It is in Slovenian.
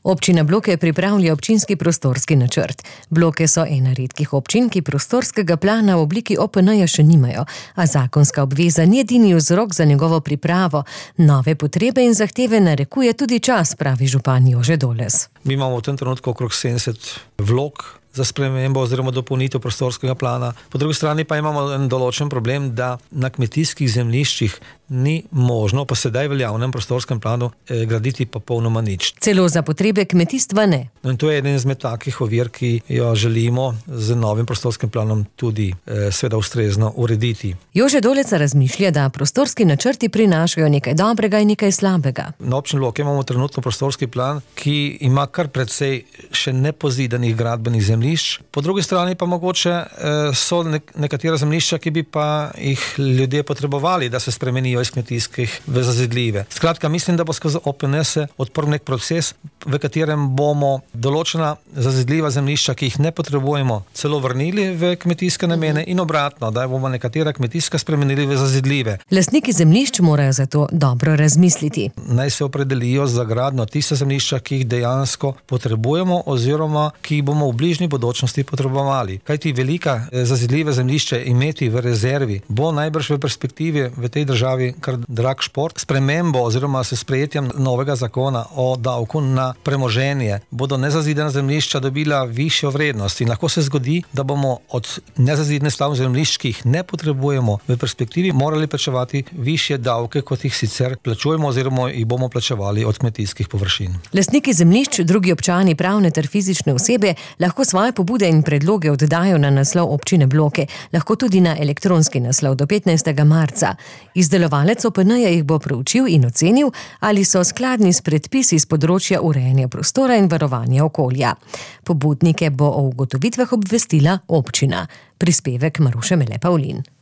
Občina Bloke pripravlja občinski prostorski načrt. Bloke so ena redkih občin, ki prostorskega plana v obliki OPN-ja še nimajo, a zakonska obveza ni edini vzrok za njegovo pripravo. Nove potrebe in zahteve narekuje tudi čas, pravi župan Jože Doles. Mi imamo v tem trenutku okrog 70 vlog za spremembo oziroma dopolnitev prostorskega plana. Po drugi strani pa imamo en določen problem, da na kmetijskih zemljiščih ni možno po sedaj veljavnem prostorskem planu graditi popolnoma nič. Celo za potrebe kmetijstva ne. In to je eden izmed takih ovir, ki jo želimo z novim prostorskim planom tudi seveda ustrezno urediti. Jože Dolec razmišlja, da prostorski načrti prinašajo nekaj dobrega in nekaj slabega. Na občini Loke imamo trenutno prostorski plan, ki ima kar precej še nepozidanih gradbenih zemljišč. Po drugi strani pa mogoče so nekatera zemljišča, ki bi pa jih ljudje potrebovali, da se spremenijo iz kmetijskih v zazidljive. Skratka, mislim, da bo skozi OPN se odprl nek proces, v katerem bomo določena zazidljiva zemljišča, ki jih ne potrebujemo, celo vrnili v kmetijske namene in obratno, da bomo nekatera kmetijska spremenili v zazidljive. Lastniki zemljišč morajo zato dobro razmisliti. Naj se opredelijo za gradnjo tiste zemljišča, ki jih dejansko potrebujemo oziroma ki jih bomo v bližnji bodočnosti potrebovali. Kajti velika zazidljive zemljišče imeti v rezervi bo najbrž v perspektivi v tej državi kar drag šport. Spremembo oziroma s sprejetjem novega zakona o davku na premoženje bodo nezazidena zemljišča dobila višjo vrednost in lahko se zgodi, da bomo od nezazidne stavb zemljišč, ki jih ne potrebujemo, v perspektivi morali plačevati višje davke, kot jih sicer plačujemo oziroma jih bomo plačevali od kmetijskih površin. Lastniki zemljišč, drugi občani, pravne ter fizične osebe lahko svoje pobude in predloge oddajo na naslov občine Bloke, lahko tudi na elektronski naslov do 15. marca. Izdelovalec OPN-ja jih bo proučil in ocenil, ali so skladni s predpisi z področja urejanja prostora in varovanja okolja. Pobudnike bo o ugotovitvah obvestila občina. Prispevek Maruše Mele Pavlin.